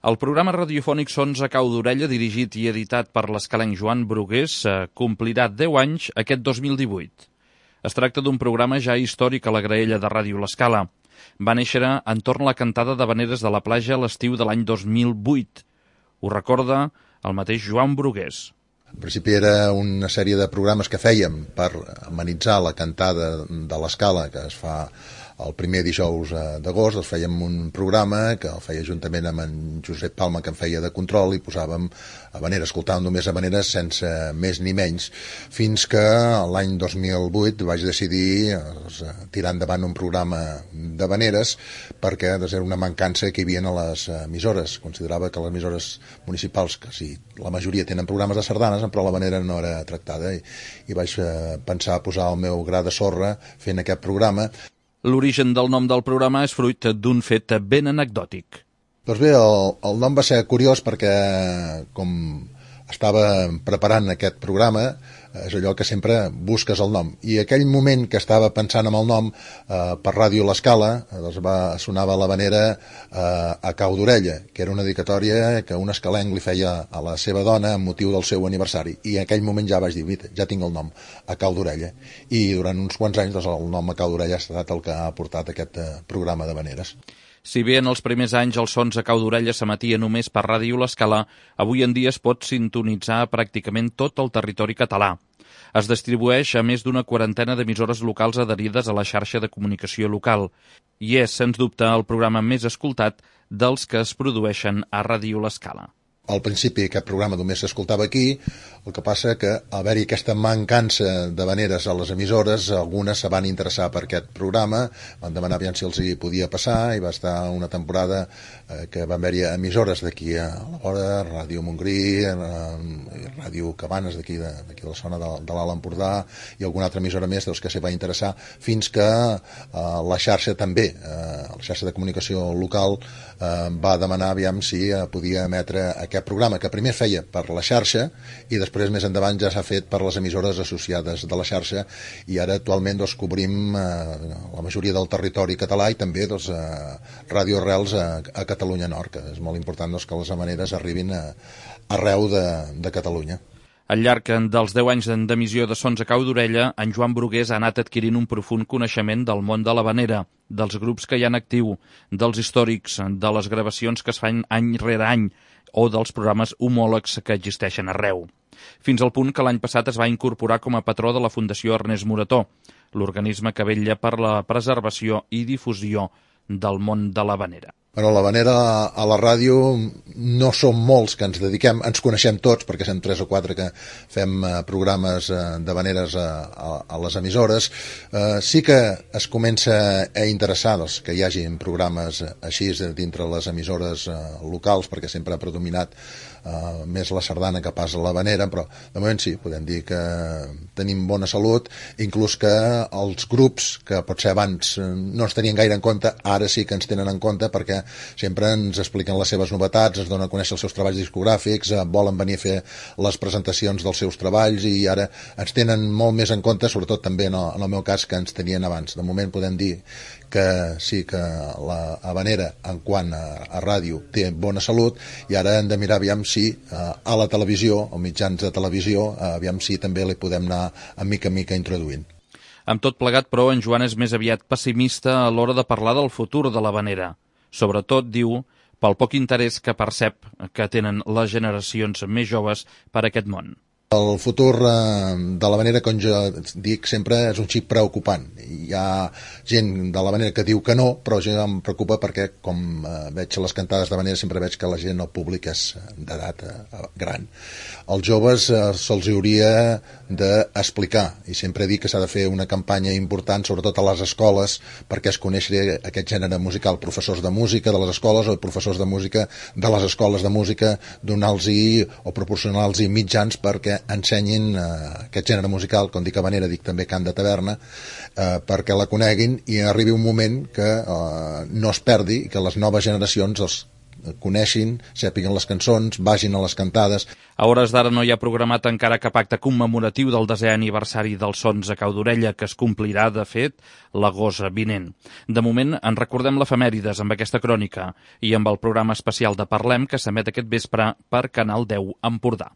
El programa radiofònic Sons a cau d'orella, dirigit i editat per l'escalenc Joan Brugués, complirà 10 anys aquest 2018. Es tracta d'un programa ja històric a la graella de Ràdio L'Escala. Va néixer entorn la cantada d'havaneres de la platja a l'estiu de l'any 2008. Ho recorda el mateix Joan Brugués. En principi era una sèrie de programes que fèiem per amenitzar la cantada de l'Escala, que es fa el primer dijous d'agost. Fèiem un programa que el feia juntament amb en Josep Palma, que en feia de control, i posàvem havaneres, escoltàvem només havaneres sense més ni menys, fins que l'any 2008 vaig decidir tirar endavant un programa d'havaneres, perquè era una mancança que hi havia a les emissores. Considerava que les emissores municipals, que sí, la majoria tenen programes de sardanes, però l'havanera no era tractada, i vaig pensar posar el meu gra de sorra fent aquest programa. L'origen del nom del programa és fruit d'un fet ben anecdòtic. Doncs bé, el nom va ser curiós perquè, com estava preparant aquest programa, és allò que sempre busques el nom. I aquell moment que estava pensant en el nom, per Ràdio L'Escala, doncs sonava l'havanera a cau d'orella, que era una dedicatòria que un escalenc li feia a la seva dona amb motiu del seu aniversari. I en aquell moment ja vaig dir, ja tinc el nom, a cau d'orella. I durant uns quants anys doncs, el nom a cau d'orella ha estat el que ha portat aquest programa d'havaneres. Si bé en els primers anys els sons a cau d'orella s'emetia només per Ràdio L'Escala, avui en dia es pot sintonitzar a pràcticament tot el territori català. Es distribueix a més d'una quarantena d'emissores locals adherides a la xarxa de comunicació local i és, sens dubte, el programa més escoltat dels que es produeixen a Ràdio L'Escala. Al principi aquest programa només s'escoltava aquí, el que passa que al haver-hi aquesta mancança d'havaneres a les emissores, algunes se van interessar per aquest programa, van demanar si els hi podia passar, i va estar una temporada que van haver-hi emissores d'aquí a la vora, Ràdio Montgrí, Ràdio Cabanes d'aquí de la zona de l'Alt Empordà, i alguna altra emissora més que s'hi va interessar, fins que la xarxa també, la xarxa de comunicació local, va demanar si podia emetre aquest programa, que primer feia per la xarxa i després més endavant ja s'ha fet per les emissores associades de la xarxa, i ara actualment cobrim la majoria del territori català i també Ràdio Arrels a Catalunya Nord, que és molt important que les havaneres arribin arreu de Catalunya. Al llarg dels 10 anys d'emissió de Sons a cau d'orella, en Joan Brugués ha anat adquirint un profund coneixement del món de l'havanera, dels grups que hi ha en actiu, dels històrics, de les gravacions que es fan any rere any o dels programes homòlegs que existeixen arreu. Fins al punt que l'any passat es va incorporar com a patró de la Fundació Ernest Morató, l'organisme que vetlla per la preservació i difusió del món de l'havanera. L'havanera a la ràdio no som molts que ens dediquem, ens coneixem tots perquè som 3 o 4 que fem programes d'havaneres a les emissores. Sí que es comença a interessar que hi hagi programes així dintre les emissores locals, perquè sempre ha predominat més la sardana que pas l'havanera, però de moment sí, podem dir que tenim bona salut, inclús que els grups que potser abans no ens tenien gaire en compte, ara sí que ens tenen en compte, perquè sempre ens expliquen les seves novetats, ens donen a conèixer els seus treballs discogràfics, volen venir a fer les presentacions dels seus treballs, i ara ens tenen molt més en compte, sobretot també en el meu cas, que ens tenien abans. De moment podem dir que sí que la havanera en quant a ràdio té bona salut, i ara hem de mirar aviam si a la televisió, o mitjans de televisió, aviam si també li podem anar a mica en mica introduint. Amb tot plegat, però, en Joan és més aviat pessimista a l'hora de parlar del futur de l'havanera. Sobretot, diu, pel poc interès que percep que tenen les generacions més joves per aquest món. El futur de l'havanera, com jo dic sempre, és un xic preocupant. Hi ha gent de l'havanera que diu que no, però jo em preocupa perquè, com veig les cantades d'havanera, sempre veig que la gent, el públic, és d'edat gran. Als joves se'ls hauria d'explicar, i sempre dic que s'ha de fer una campanya important, sobretot a les escoles, perquè es coneixi aquest gènere musical. Professors de música de les escoles o professors de música de les escoles de música, donar-los o proporcionar-los mitjans perquè ensenyin aquest gènere musical, com dic havanera, dic també cant de taverna, perquè la coneguin i arribi un moment que no es perdi i que les noves generacions coneixin, sàpiguen les cançons, vagin a les cantades. A hores d'ara no hi ha programat encara cap acte commemoratiu del 10è aniversari dels Sons a Cau d'Orella, que es complirà, de fet, l'agost vinent. De moment, en recordem l'efemèrides amb aquesta crònica i amb el programa especial de Parlem, que s'emet aquest vespre per Canal 10 Empordà.